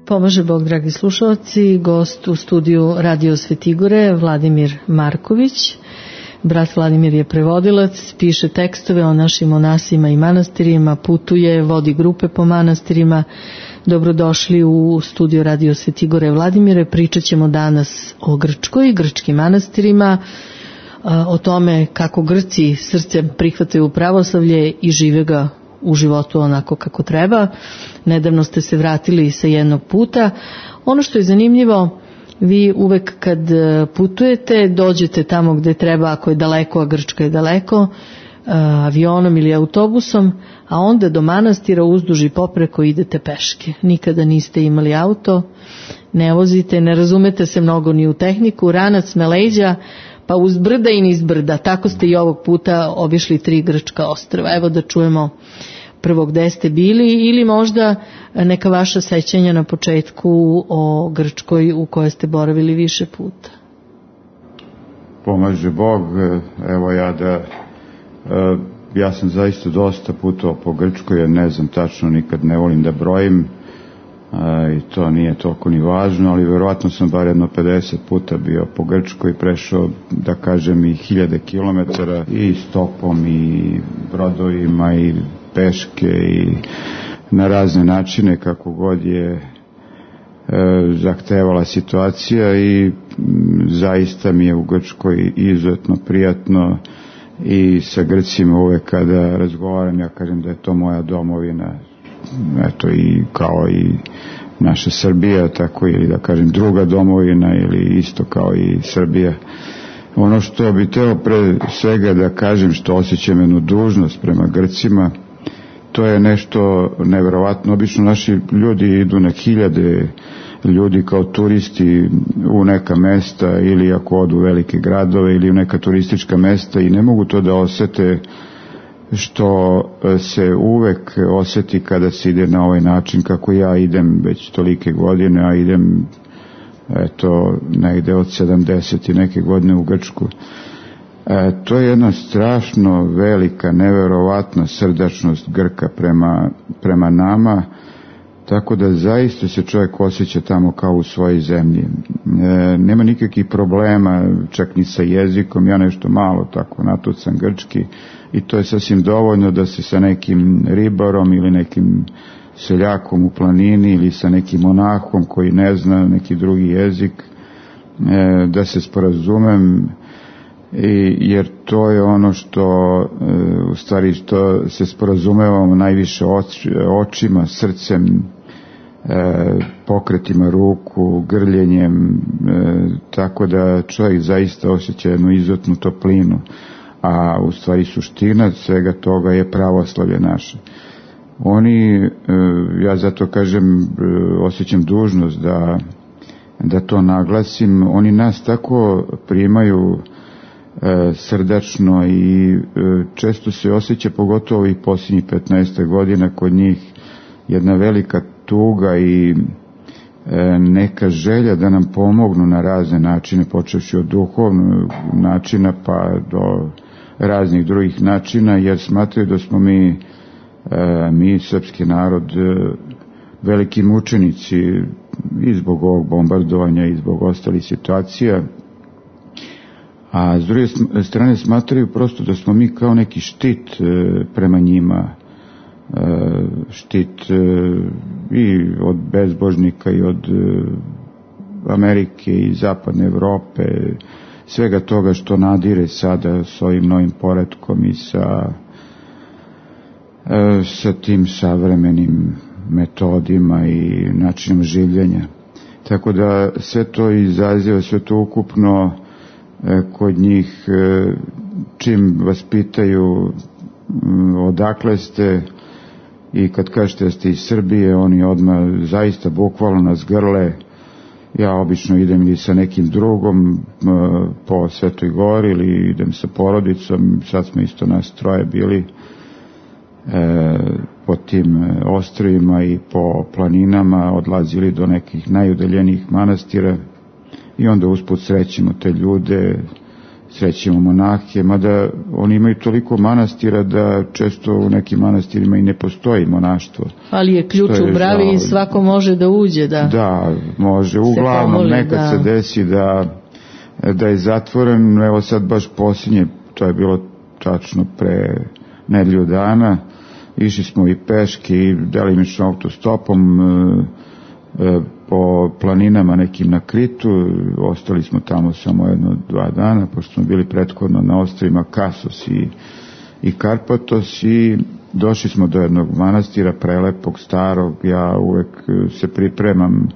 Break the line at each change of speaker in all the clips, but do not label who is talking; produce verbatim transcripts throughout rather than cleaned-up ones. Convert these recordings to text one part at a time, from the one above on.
Pomaže Bog, dragi slušalci, gost u studiju Radio Svetigore, Vladimir Marković. Brat Vladimir je prevodilac, piše tekstove o našim monasima i manastirima, putuje, vodi grupe po manastirima. Dobrodošli u studio Radio Svetigore, Vladimire. Pričat ćemo danas o Grčkoj, grčkim manastirima, o tome kako Grci srcem prihvataju pravoslavlje i žive ga u životu onako kako treba. Nedavno ste se vratili sa jednog puta. Ono što je zanimljivo, vi uvek kad putujete, dođete tamo gde treba, ako je daleko, a Grčka je daleko, avionom ili autobusom, a onda do manastira uzduž i popreko idete peške. Nikada niste imali auto, ne vozite, ne razumete se mnogo ni u tehniku, ranac na leđa, pa uz brda i niz brda. Tako ste i ovog puta obišli tri grčka ostrva. Evo da čujemo prvo gde ste bili ili možda neka vaša sećanja na početku o Grčkoj u kojoj ste boravili više puta.
Pomaže Bog, evo ja da ja sam zaista dosta putovao po Grčkoj, jer ne znam tačno, nikad ne volim da brojim i to nije toliko ni važno, ali verovatno sam bar jedno pedeset puta bio po Grčkoj, prešao, da kažem, i hiljade kilometara i stopom i brodovima i peške i na razne načine kako god je e, zahtevala situacija i m, zaista mi je u Grčkoj izuzetno prijatno i sa Grcima uvek kada razgovaram ja kažem da je to moja domovina, eto, i kao i naša Srbija, tako ili da kažem druga domovina ili isto kao i Srbija. Ono što bi teo pre svega da kažem, što osjećam jednu dužnost prema Grcima, to je nešto neverovatno. Obično naši ljudi idu na hiljade ljudi kao turisti u neka mesta ili ako odu u velike gradove ili u neka turistička mesta i ne mogu to da osete što se uvek osjeti kada se ide na ovaj način kako ja idem već tolike godine, a idem eto negde od sedamdeset i neke godine u Grčku. E, to je jedna strašno velika, neverovatna srdačnost Grka prema, prema nama, tako da zaista se čovjek osjeća tamo kao u svojoj zemlji. E, nema nikakvih problema, čak ni sa jezikom, ja nešto malo tako natucam grčki i to je sasvim dovoljno da se sa nekim ribarom ili nekim seljakom u planini ili sa nekim monahom koji ne zna neki drugi jezik, e, da se sporazumem, I, jer to je ono što e, u stvari što se sporazumevamo najviše oč, očima, srcem, e, pokretima ruku, grljenjem, e, tako da čovjek zaista osjeća jednu izuzetnu toplinu, a u stvari suština svega toga je pravoslavlje naše. Oni, e, ja zato kažem, e, osjećam dužnost da, da to naglasim, oni nas tako primaju E, srdačno i e, često se osjeća, pogotovo i posljednjih petnaest godina kod njih, jedna velika tuga i e, neka želja da nam pomognu na razne načine, počevši od duhovnog načina pa do raznih drugih načina, jer smatraju da smo mi, e, mi srpski narod, e, veliki mučenici i zbog ovog bombardovanja i zbog ostalih situacija. A s druge strane smatraju prosto da smo mi kao neki štit e, prema njima, e, štit e, i od bezbožnika i od e, Amerike i zapadne Evrope, svega toga što nadire sada s ovim novim poretkom i sa, e, sa tim savremenim metodima i načinom življenja. Tako da sve to izaziva, sve to ukupno kod njih, čim vas pitaju odakle ste i kad kažete da ste iz Srbije, oni odmah zaista bukvalno nas grle. Ja obično idem ili sa nekim drugom po Svetoj Gori ili idem sa porodicom, sad smo isto nas troje bili po tim ostrvima i po planinama, odlazili do nekih najudaljenijih manastira i onda usput srećemo te ljude srećemo monahe, mada oni imaju toliko manastira da često u nekim manastirima i ne postoji monaštvo.
Ali je ključ u bravi i svako može da uđe. Da,
da može. Uglavnom pomoli, nekad da. se desi da, da je zatvoren. Evo sad baš posljednje, to je bilo tačno pre nedelju dana. Išli smo i peške i delimično autostopom e, e, po planinama nekim na Kritu. Ostali smo tamo samo jedno dva dana, pošto smo bili prethodno na ostrvima Kasos i, i Karpatos, i došli smo do jednog manastira prelepog, starog. Ja uvek se pripremam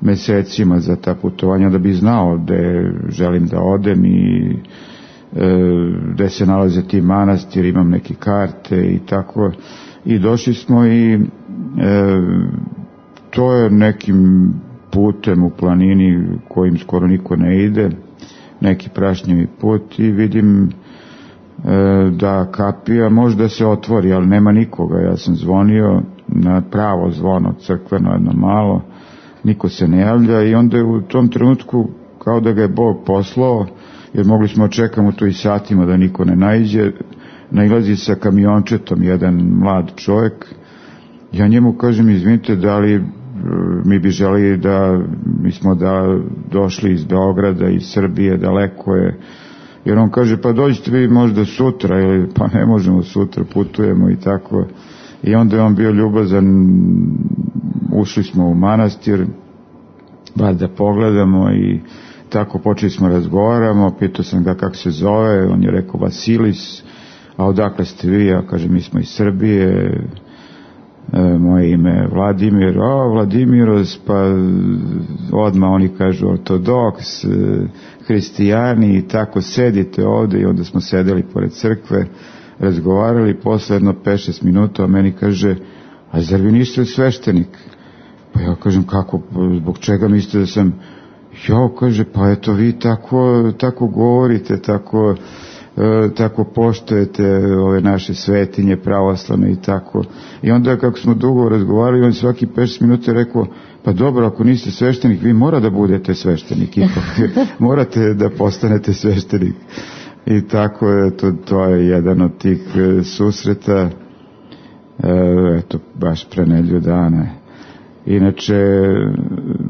mesecima za ta putovanja da bi znao gde želim da odem i gde se nalaze ti manastiri, imam neke karte i tako, i došli smo i e, to je nekim putem u planini kojim skoro niko ne ide, neki prašnjevi put, i vidim e, da kapija možda se otvori, ali nema nikoga. Ja sam zvonio na pravo zvono crkveno, jedno malo, niko se ne javlja, i onda je u tom trenutku kao da ga je Bog poslao, jer mogli smo čekamo tu i satima da niko ne naiđe. Nailazi sa kamiončetom jedan mlad čovjek. Ja njemu kažem, izvinite, da li mi bi želi da, mi smo da došli iz Beograda, iz Srbije, daleko je. Jer on kaže, pa dođite vi možda sutra, ili pa ne možemo sutra, putujemo i tako. I onda je on bio ljubazan, ušli smo u manastir, bar da pogledamo, i tako počeli smo razgovaramo. Pitao sam ga kako se zove, on je rekao Vasilis. A odakle ste vi? Ja kažem, mi smo iz Srbije, e, moje ime je Vladimir. A, Vladimiros, pa odmah oni kažu ortodoks, e, hristijani, i tako sedite ovde. I onda smo sedeli pored crkve, razgovarali, posle jedno pet šest minuta, a meni kaže, a zar vi niste sveštenik? Pa ja kažem, kako, zbog čega mislite da sam? Ja, kaže, pa eto vi tako, tako govorite, tako, e, tako poštujete ove naše svetinje pravoslavne i tako. I onda kako smo dugo razgovarali, on svaki pet šest minuta rekao, pa dobro, ako niste sveštenik, vi mora da budete sveštenik, ipak morate da postanete sveštenik. I tako je, to, to je jedan od tih e, susreta, e, eto, baš pre nedelju dana. Inače,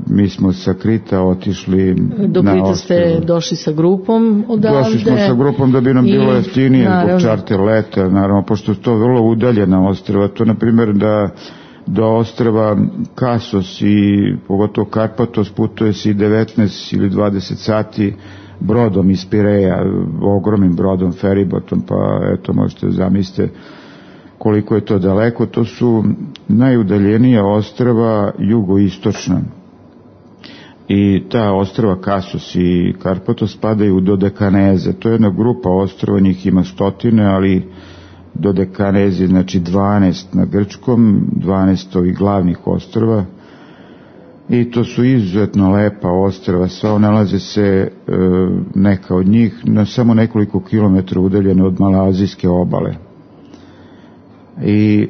mi smo sa Krita otišli
do
na
Krita ste došli sa grupom odavde.
Došli smo sa grupom da bi nam i, bilo jeftinije zbog čarter leta, naravno, pošto je to vrlo udaljena ostrva. To, na primjer, da do ostrva Kasos i pogotovo Karpatos putuje se i devetnaest ili dvadeset sati brodom iz Pireja, ogromnim brodom, feribotom, pa eto, možete zamislite koliko je to daleko. To su najudaljenija ostrva jugoistočna. I ta ostrva Kasos i Karpatos spadaju u Dodekaneze. To je jedna grupa ostrva, njih ima stotine, ali Dodekanezi, znači dvanaest na grčkom, dvanaest ovih glavnih ostrva. I to su izuzetno lepa ostrva, sva nalaze se e, neka od njih na samo nekoliko kilometra udaljene od malazijske obale. I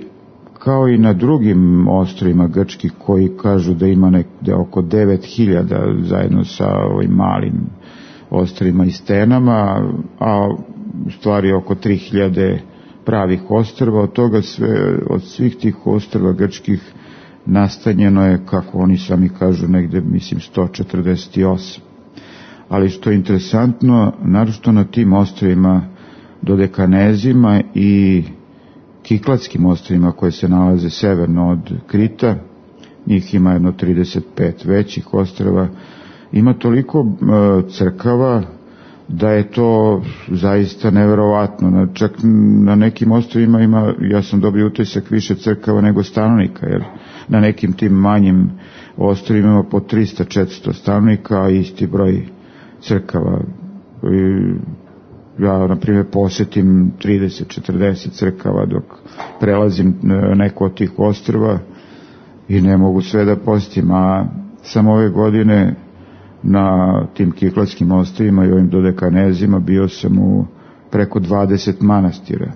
kao i na drugim ostrvima grčkih koji kažu da ima nekde oko devet hiljada zajedno sa ovim malim ostrvima i stenama, a u stvari oko tri hiljade pravih ostrva. Od toga sve, od svih tih ostrva grčkih nastanjeno je, kako oni sami kažu, negde, mislim, sto četrdeset osam. Ali što je interesantno, naročito na tim ostrvima Dodekanezima i Kikladskim ostrvima koje se nalaze severno od Krita, njih ima jedno trideset pet većih ostrva, ima toliko e, crkava da je to zaista neverovatno. Čak na nekim ostrvima ima, ja sam dobio utisak, više crkava nego stanovnika, jer na nekim tim manjim ostrvima ima po trista četiristo stanovnika, a isti broj crkava. I ja, na primjer, posjetim trideset četrdeset crkava dok prelazim neko od tih ostrva i ne mogu sve da posjetim, a samo ove godine na tim Kikladskim ostrvima i ovim Dodekanezima bio sam u preko dvadeset manastira.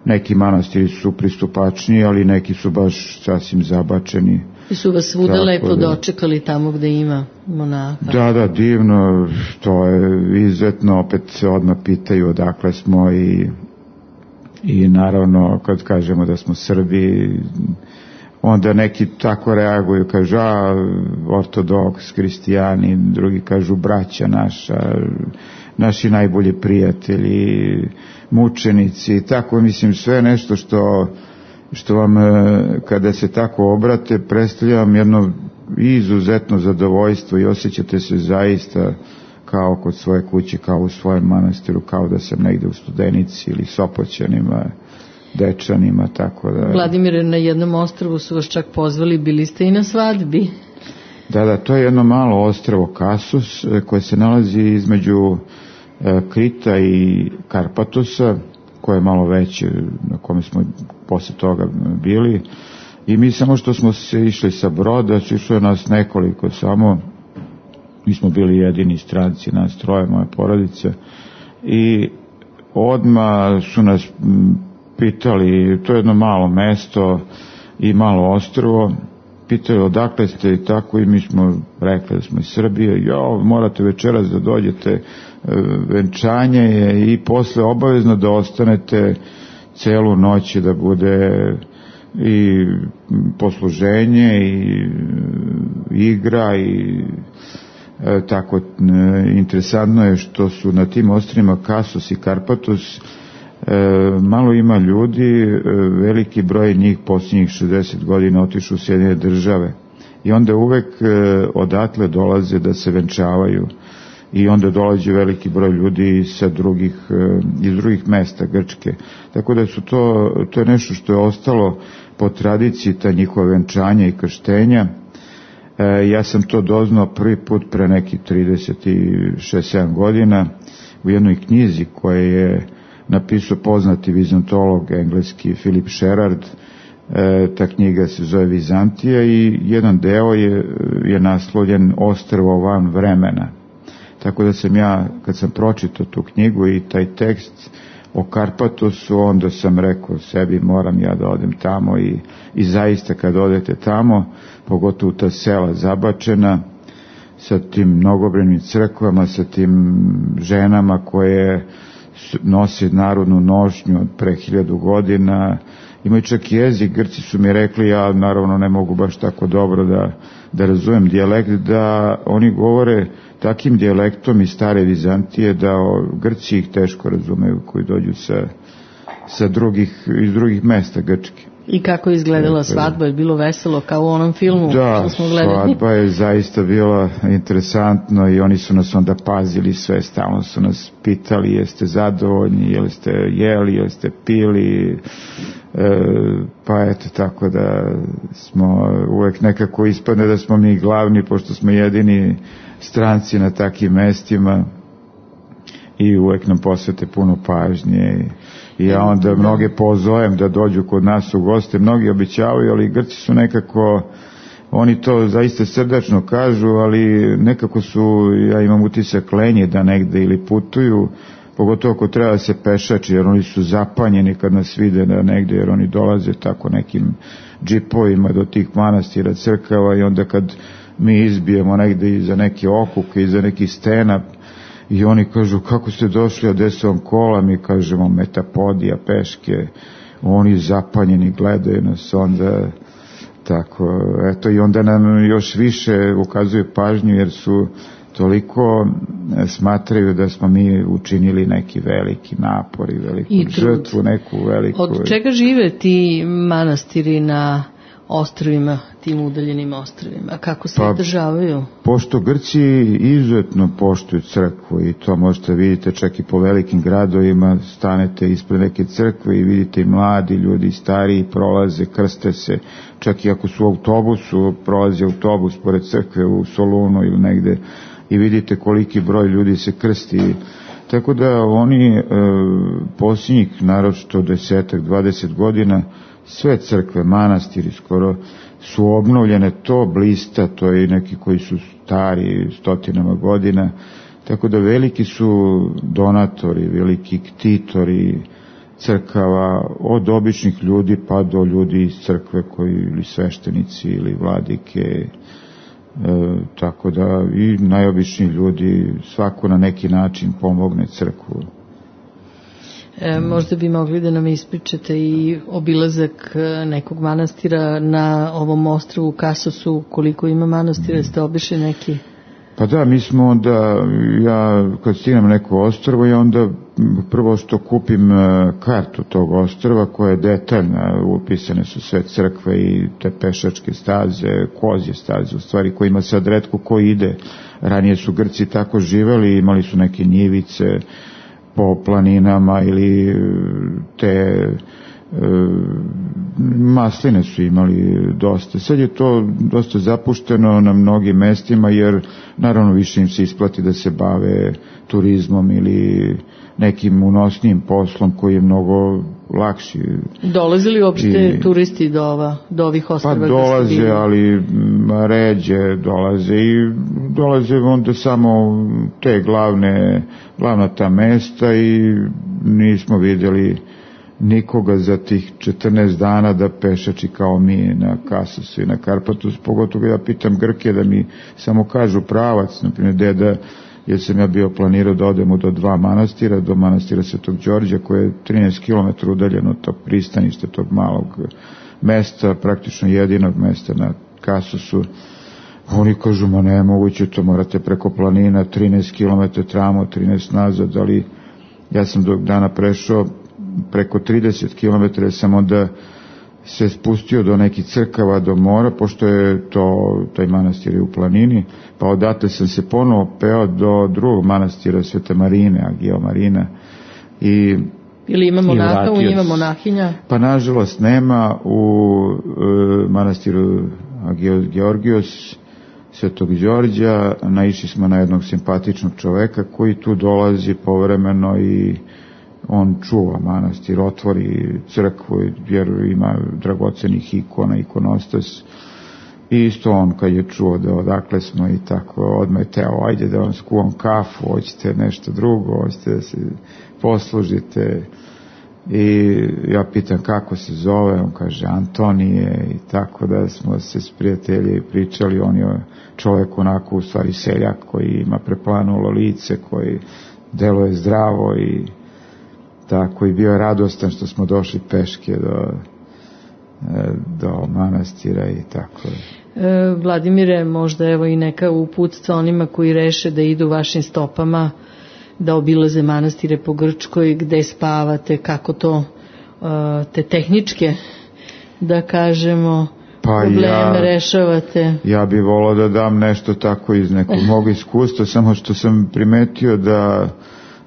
Neki manastiri su pristupačniji, ali neki su baš sasvim zabačeni.
I su vas svuda lepo da dočekali tamo gde ima monaha.
Da, da, divno, to je izuzetno, opet se odmah pitaju odakle smo i, i naravno kad kažemo da smo Srbi, onda neki tako reaguju, kažu a, ortodoks, kristijani, drugi kažu braća naša, naši najbolji prijatelji, mučenici, tako mislim sve nešto što, što vam kada se tako obrate predstavlja vam jedno izuzetno zadovoljstvo i osjećate se zaista kao kod svoje kuće, kao u svojem manastiru, kao da sam negde u Studenici ili Sopoćanima, Dečanima, tako da...
Vladimire, na jednom ostrvu su vas čak pozvali, bili ste i na svadbi.
Da, da, to je jedno malo ostrvo Kasus koje se nalazi između e, Krita i Karpatosa, koje je malo veće, na kome smo posle toga bili. I mi samo što smo se išli sa broda, išlo je nas nekoliko samo, mi smo bili jedini stranci, nas troje, moja porodica, i odmah su nas pitali, to je jedno malo mesto i malo ostrvo, pitali odakle ste i tako, i mi smo rekli da smo iz Srbije. Jo, morate večeras da dođete, venčanje je i posle obavezno da ostanete celu noć, da bude i posluženje i igra i e, tako. E, interesantno je što su na tim ostrvima Kasus i Karpatos e, malo ima ljudi, e, veliki broj njih posljednjih šezdeset godina otišu u Sjedinjene Države i onda uvek e, odatle dolaze da se venčavaju i onda dolazi veliki broj ljudi sa drugih, e, iz drugih mesta Grčke, tako da su to, to je nešto što je ostalo po tradiciji, ta njihova venčanja i krštenja. E, ja sam to doznao prvi put pre nekih trideset šest sedam godina u jednoj knjizi koje je napisao poznati vizantolog engleski Philip Sherard. E, ta knjiga se zove Vizantija i jedan deo je, je naslovljen Ostrvo van vremena. Tako da sam ja, kad sam pročitao tu knjigu i taj tekst o Karpatosu, onda sam rekao sebi moram ja da odem tamo i, i zaista kad odete tamo, pogotovo ta sela zabačena sa tim mnogobrojnim crkvama, sa tim ženama koje nose narodnu nošnju od pre hiljadu godina, imaju čak jezik, Grci su mi rekli, ja naravno ne mogu baš tako dobro da, da razumem dijalekt, da oni govore takim dijalektom iz stare Vizantije da Grci ih teško razumeju koji dođu sa, sa drugih, iz drugih mesta Grčke.
I kako je izgledala svadba? Je bilo veselo kao u onom filmu
da,
što smo gledali?
Da, svadba je zaista bila interesantno i oni su nas onda pazili sve, stalno su nas pitali jeste zadovoljni, jeste jeli, jeste pili, e, pa eto tako da smo uvek nekako ispadne da smo mi glavni, pošto smo jedini stranci na takim mestima i uvek nam posvete puno pažnje i ja onda mnoge pozovem da dođu kod nas u goste, mnogi obećavaju, ali Grci su nekako, oni to zaista srdačno kažu, ali nekako su, ja imam utisak, lenji da negde ili putuju, pogotovo ako treba da se pešači, jer oni su zapanjeni kad nas vide da negde, jer oni dolaze tako nekim džipovima do tih manastira, crkava, i onda kad mi izbijemo negde iza neke okuke, iza nekih stena, i oni kažu kako ste došli, a gde su vam kola, mi kažemo metapodija, peške, oni zapanjeni gledaju nas, onda tako, eto, i onda nam još više ukazuju pažnju jer su toliko smatraju da smo mi učinili neki veliki napor i veliku I žrtvu, neku veliku.
Od čega žive ti manastiri na ostrvima, tim udaljenim ostrvima? Kako se pa, održavaju?
Pošto Grci izuzetno poštuju crkvu i to možete vidite čak i po velikim gradovima, stanete ispred neke crkve i vidite i mladi ljudi, stariji prolaze, krste se, čak i ako su u autobusu, prolazi autobus pored crkve u Solunu ili negde i vidite koliki broj ljudi se krsti. Tako da oni e, posljednjih naročito desetak, dvadeset godina sve crkve, manastiri skoro su obnovljene, to blista, to je neki koji su stari stotinama godina, tako da veliki su donatori, veliki ktitori crkava, od običnih ljudi pa do ljudi iz crkve koji ili sveštenici ili vladike, E, tako da i najobičniji ljudi svako na neki način pomogne crkvu.
E, možda bi mogli da nam ispričate i obilazak nekog manastira na ovom ostrvu Kasosu, koliko ima manastira, ste obišli neki?
Pa da, mi smo onda, ja kad stignem neko ostrvo, ja onda prvo što kupim kartu tog ostrva koja je detaljna, upisane su sve crkve i te pešačke staze, kozje staze, u stvari koje ima sad retko ko ide. Ranije su Grci tako živeli, imali su neke njivice po planinama ili te e, masline su imali dosta. Sad je to dosta zapušteno na mnogim mestima, jer naravno više im se isplati da se bave turizmom ili nekim unosnijim poslom koji je mnogo lakši.
Dolaze li uopšte I, turisti do, ova, do ovih ostrva?
Pa dolaze, ali ređe dolaze i dolaze onda samo te glavne, glavna ta mesta i nismo vidjeli nikoga za tih četrnaest dana da pešači kao mi na Kasosu i na Karpatu, pogotovo ja pitam Grke da mi samo kažu pravac, na primjer deda, jer sam ja bio planirao da odemo do dva manastira, do manastira Svetog Đorđa koje je trinaest kilometara udaljeno od tog pristaništa, tog malog mesta, praktično jedinog mesta na Kasosu. Oni kažu, ma ne, moguće to, morate preko planina, trinaest kilometara tramo, trinaest nazad, ali ja sam do dana prešao preko trideset kilometara, sam onda se spustio do nekih crkava, do mora, pošto je to, taj manastir je u planini, pa odatle sam se ponovo peo do drugog manastira Svete Marine, Agio Marina. I,
ili ima monaha, u njima monahinja?
Pa nažalost nema, u e, manastiru Agio Georgios Svetog Đorđa naišli smo na jednog simpatičnog čoveka koji tu dolazi povremeno i on čuva manastir, otvori crkvu jer ima dragocenih ikona, ikonostas. I isto on kad je čuo da odakle smo i tako odmah je teo, ajde da vam skuvam kafu, hoćete nešto drugo, hoćete da se poslužite. I ja pitam kako se zove, on kaže Antonije, i tako da smo se s prijatelji pričali. On je čovjek onako u stvari seljak koji ima preplanulo lice, koji deluje zdravo i tako, i bio je radostan što smo došli peške do, do manastira i tako.
E, Vladimire, možda evo i neka uputstva onima koji reše da idu vašim stopama, da obilaze manastire po Grčkoj, gde spavate, kako to, te tehničke, da kažemo, pa probleme ja, rešavate.
Ja bih volao da dam nešto tako iz nekog mog iskustva, samo što sam primetio da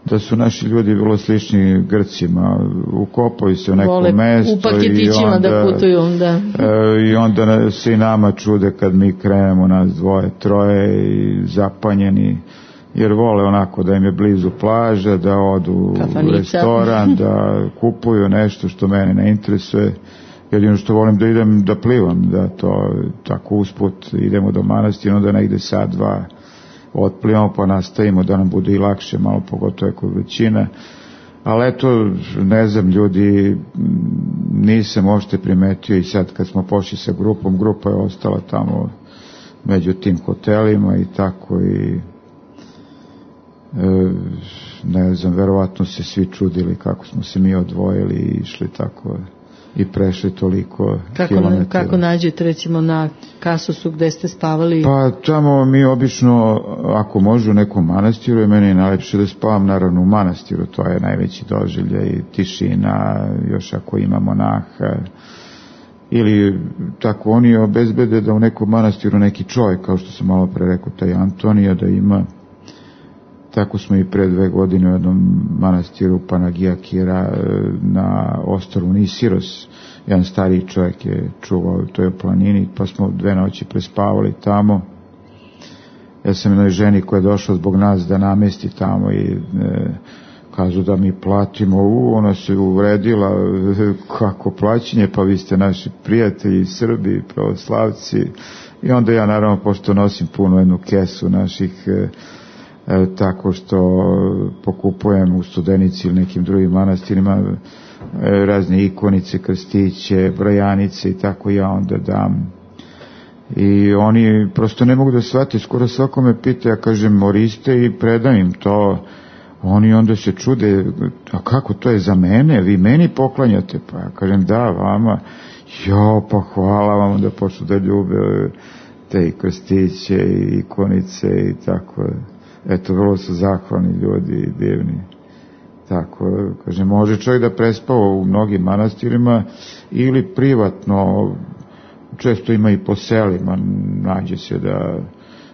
da su naši ljudi vrlo slični Grcima, ukopaju se u neko Vole, mesto
u paketićima i onda, da putuju, da.
E, i onda se i nama čude kad mi krenemo, nas dvoje, troje i zapanjeni, jer vole onako da im je blizu plaža, da odu u restoran, da kupuju nešto što mene ne interesuje. Jedino što volim da idem da plivam, da to tako usput idemo do manastira, onda negde sad, dva otplivamo pa nastavimo da nam bude i lakše, malo pogotovo kod većine. Ali eto, ne znam, ljudi nisam uopšte primetio i sad kad smo pošli sa grupom, grupa je ostala tamo među tim hotelima i tako i e, ne znam, verovatno se svi čudili kako smo se mi odvojili i išli tako i prešli toliko
kako,
kilometara.
Kako nađete recimo na Kasosu gde ste spavali?
Pa tamo mi obično, ako može u nekom manastiru, je meni najlepše da spavam naravno u manastiru, to je najveći doživljaj i tišina, još ako ima monaha, ili tako oni obezbede da u nekom manastiru neki čovjek, kao što sam malo pre rekao, taj Antonija, da ima. Tako smo i pre dve godine u jednom manastiru Panagija Kira na ostrvu Nisiros, jedan stariji čovjek je čuvao u toj planini, pa smo dve noći prespavali tamo. Ja sam jednoj ženi koja je došla zbog nas da namesti tamo i e, kažu da mi platimo, u, ona se uvredila, kako plaćanje, pa vi ste naši prijatelji, Srbi, pravoslavci. I onda ja naravno, pošto nosim puno jednu kesu naših e, E, tako što pokupujem u Studenici ili nekim drugim manastirima e, razne ikonice, krstiće, brojanice i tako, ja onda dam i oni prosto ne mogu da shvate, skoro svako me pita, ja kažem moriste i predam im to, oni onda se čude, a kako to je za mene, vi meni poklanjate, pa ja kažem da, vama, jo, pa hvala vam, da počnu da ljube te i krstiće i ikonice i tako, eto, vrlo su zahvalni ljudi i divni. Tako, kaže, može čovjek da prespava u mnogim manastirima ili privatno, često ima i po selima, nađe se da,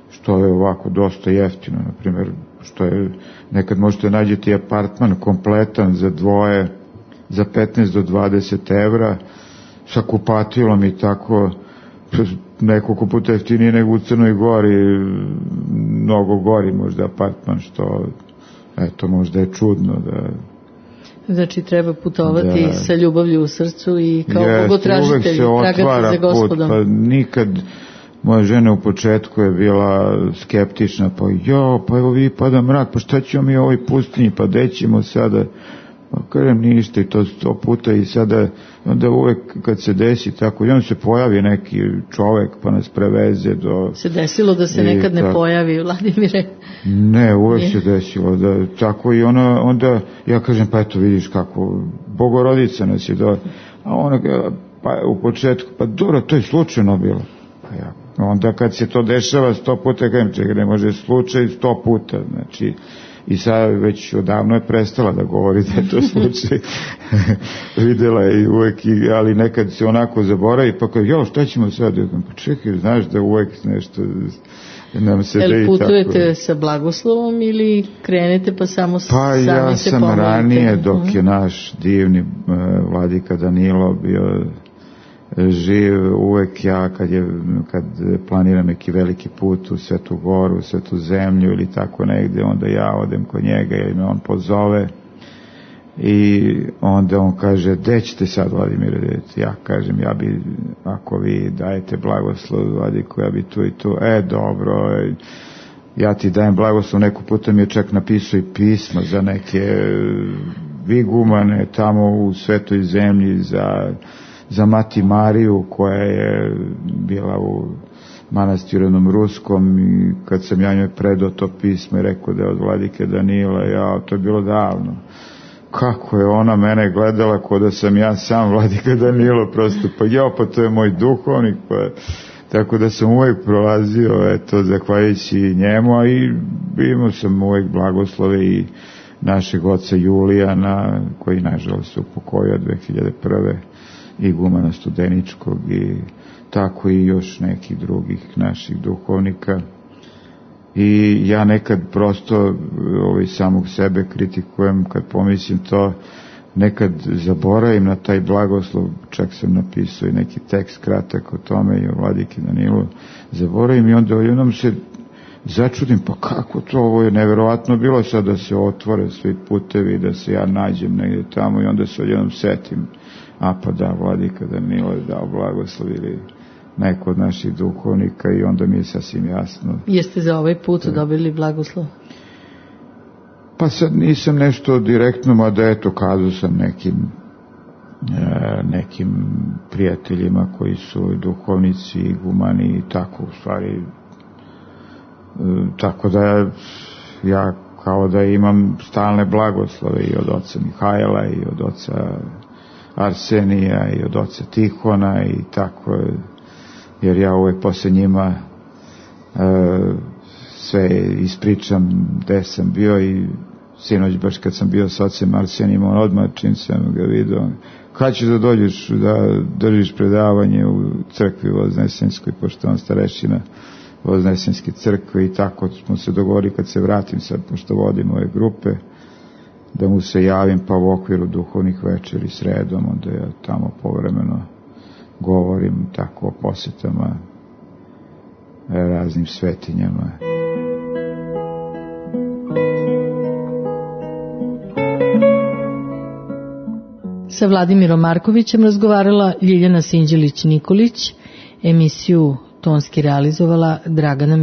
što je ovako dosta jeftino, na primjer, što je, nekad možete nađeti apartman kompletan za dvoje, za petnaest do dvadeset evra, sa kupatilom i tako, nekoliko puta jeftinije nego u Crnoj Gori, mnogo gori možda apartman, što eto, možda je čudno da...
Znači, treba putovati
da,
sa ljubavlju u srcu i kao
jest,
bogotražitelj, tragati za Gospodom.
Put, pa nikad, moja žena u početku je bila skeptična, pa jo, pa evo vi pada mrak, pa šta ćemo mi u ovoj pustinji, pa gde ćemo sada? Pa kažem ništa i to sto puta i sada, onda uvek kad se desi tako, i onda se pojavi neki čovek pa nas preveze do...
Se desilo da se i, nekad ne tako, pojavi, Vladimire?
Ne, uvek Nije. se desilo, da tako i ona, onda ja kažem, pa eto vidiš kako, Bogorodica nas je do... A ona, pa u početku, pa dobro, to je slučajno bilo. Pa ja, onda kad se to dešava sto puta, kažem, čekaj, ne može slučaj sto puta, znači... I sad već odavno je prestala da govori da je to slučaj. Videla je i uvek, ali nekad se onako zaboravi, pa kao, jo, šta ćemo sad? Pa čekaj, znaš da uvek nešto nam se da i tako.
El putujete sa blagoslovom ili krenete pa samo
pa
sami
ja
se
sam
pomolite?
Ranije, dok je naš divni uh, vladika Danilo bio živ, uvek ja kad, je, kad planiram neki veliki put u Svetu Goru, u Svetu zemlju ili tako negde, onda ja odem kod njega ili me on pozove i onda on kaže, gde ćete sad, Vladimire? Ja kažem, ja bi, ako vi dajete blagoslov Vladiku, ja bi tu i tu, e dobro, ja ti dajem blagoslov, neko puta mi je čak napisao i pisma za neke vigumane tamo u Svetoj zemlji, za za Mati Mariju koja je bila u manastiru jednom ruskom i kad sam ja njoj predao to pismo i rekao da je od vladike Danila, ja, to je bilo davno. Kako je ona mene gledala kao da sam ja sam vladika Danilo, prosto, pa ja, pa to je moj duhovnik, pa tako da sam uvijek prolazio, eto, zahvaljujući njemu, a i imao sam uvijek blagoslove i našeg oca Julijana, koji nažalost se upokojio dve hiljade prve igumana Studeničkog i tako i još nekih drugih naših duhovnika. I ja nekad prosto ovaj, samog sebe kritikujem kad pomislim to, nekad zaboravim na taj blagoslov, čak sam napisao i neki tekst kratak o tome i o vladiki Danilu, zaboravim i onda jednom se začudim, pa kako to, ovo je neverovatno bilo sad da se otvore svi putevi, da se ja nađem negdje tamo i onda se odjednom setim, a pa da, vladika Danilo je dao blagoslov ili neko od naših duhovnika i onda mi je sasvim jasno.
Jeste za ovaj put dobili blagoslov?
Pa sad nisam nešto direktno, mada eto kazao sam nekim e, nekim prijateljima koji su duhovnici, igumani i tako u stvari. E, tako da ja kao da imam stalne blagoslove i od oca Mihajla i od oca Arsenija i od oca Tihona i tako, jer ja uvek posle njima e, sve ispričam gde sam bio i sinoć baš kad sam bio s ocem Arsenijem, on odmah čim sam ga vidio, kad ćeš da dođeš da držiš predavanje u crkvi Voznesenskoj, pošto on starešina Voznesenske crkve i tako smo se dogovorili kad se vratim sad, pošto vodim ove grupe, da mu se javim pa u okviru duhovnih večeri sredom, onda ja tamo povremeno govorim tako o posjetama raznim svetinjama.
Sa Vladimirom Markovićem razgovarala Ljiljana Sinđelić-Nikolić, emisiju tonski realizovala Dragana